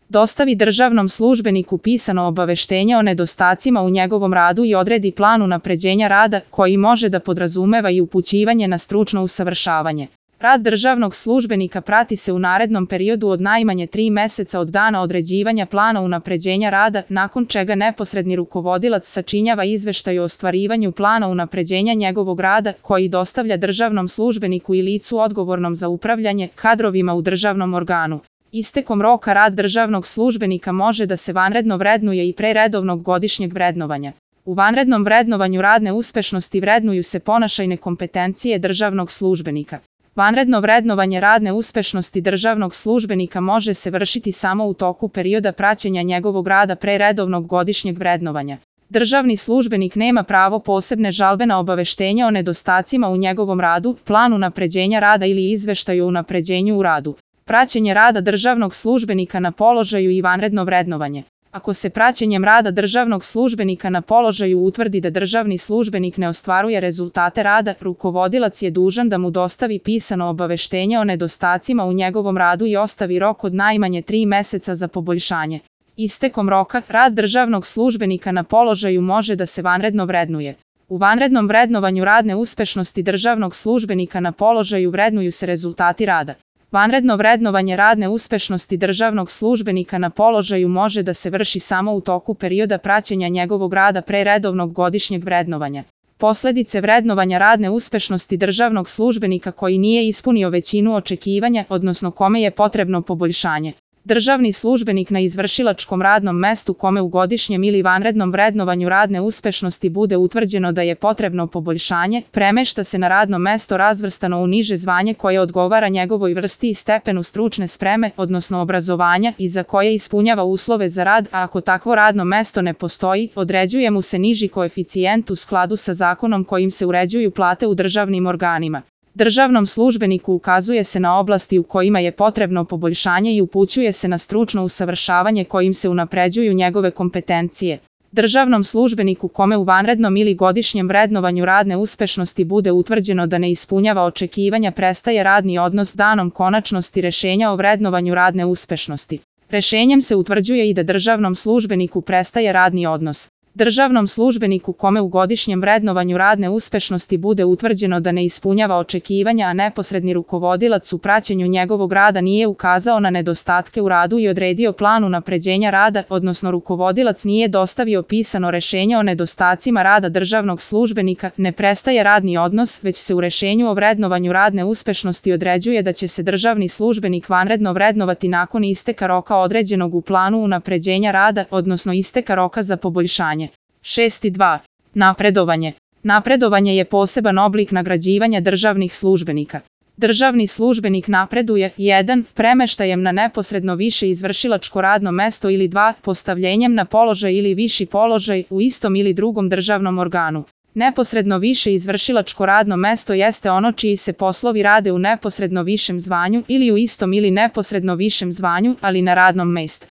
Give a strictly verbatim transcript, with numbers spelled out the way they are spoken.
dostavi državnom službeniku pisano obaveštenje o nedostacima u njegovom radu i odredi plan unapređenja rada koji može da podrazumeva i upućivanje na stručno usavršavanje. Rad državnog službenika prati se u narednom periodu od najmanje tri meseca od dana određivanja plana unapređenja rada, nakon čega neposredni rukovodilac sačinjava izveštaj o ostvarivanju plana unapređenja njegovog rada koji dostavlja državnom službeniku i licu odgovornom za upravljanje kadrovima u državnom organu. Istekom roka rad državnog službenika može da se vanredno vrednuje i pre redovnog godišnjeg vrednovanja. U vanrednom vrednovanju radne uspešnosti vrednuju se ponašajne kompetencije državnog službenika. Vanredno vrednovanje radne uspešnosti državnog službenika može se vršiti samo u toku perioda praćenja njegovog rada pre redovnog godišnjeg vrednovanja. Državni službenik nema pravo posebne žalbe na obaveštenje o nedostacima u njegovom radu, planu unapređenja rada ili izveštaju o unapređenju u radu. Praćenje rada državnog službenika na položaju i vanredno vrednovanje. Ako se praćenjem rada državnog službenika na položaju utvrdi da državni službenik ne ostvaruje rezultate rada, rukovodilac je dužan da mu dostavi pisano obaveštenje o nedostacima u njegovom radu i ostavi rok od najmanje tri meseca za poboljšanje. Istekom roka, rad državnog službenika na položaju može da se vanredno vrednuje. U vanrednom vrednovanju radne uspešnosti državnog službenika na položaju vrednuju se rezultati rada. Vanredno vrednovanje radne uspešnosti državnog službenika na položaju može da se vrši samo u toku perioda praćenja njegovog rada pre redovnog godišnjeg vrednovanja. Posledice vrednovanja radne uspešnosti državnog službenika koji nije ispunio većinu očekivanja, odnosno kome je potrebno poboljšanje. Državni službenik na izvršilačkom radnom mestu kome u godišnjem ili vanrednom vrednovanju radne uspešnosti bude utvrđeno da je potrebno poboljšanje, premešta se na radno mesto razvrstano u niže zvanje koje odgovara njegovoj vrsti i stepenu stručne spreme, odnosno obrazovanja, i za koje ispunjava uslove za rad, a ako takvo radno mesto ne postoji, određuje mu se niži koeficijent u skladu sa zakonom kojim se uređuju plate u državnim organima. Državnom službeniku ukazuje se na oblasti u kojima je potrebno poboljšanje i upućuje se na stručno usavršavanje kojim se unapređuju njegove kompetencije. Državnom službeniku kome u vanrednom ili godišnjem vrednovanju radne uspešnosti bude utvrđeno da ne ispunjava očekivanja prestaje radni odnos danom konačnosti rešenja o vrednovanju radne uspešnosti. Rešenjem se utvrđuje i da državnom službeniku prestaje radni odnos. Državnom službeniku kome u godišnjem vrednovanju radne uspešnosti bude utvrđeno da ne ispunjava očekivanja, a neposredni rukovodilac u praćenju njegovog rada nije ukazao na nedostatke u radu i odredio plan unapređenja rada, odnosno rukovodilac nije dostavio pisano rešenje o nedostacima rada državnog službenika, ne prestaje radni odnos, već se u rešenju o vrednovanju radne uspešnosti određuje da će se državni službenik vanredno vrednovati nakon isteka roka određenog u planu unapređenja rada, odnosno isteka roka za poboljšanje. šest dva. Napredovanje. Napredovanje je poseban oblik nagrađivanja državnih službenika. Državni službenik napreduje jedan. Premeštajem na neposredno više izvršilačko radno mesto ili dva. Postavljenjem na položaj ili viši položaj u istom ili drugom državnom organu. Neposredno više izvršilačko radno mesto jeste ono čiji se poslovi rade u neposredno višem zvanju ili u istom ili neposredno višem zvanju, ali na radnom mestu.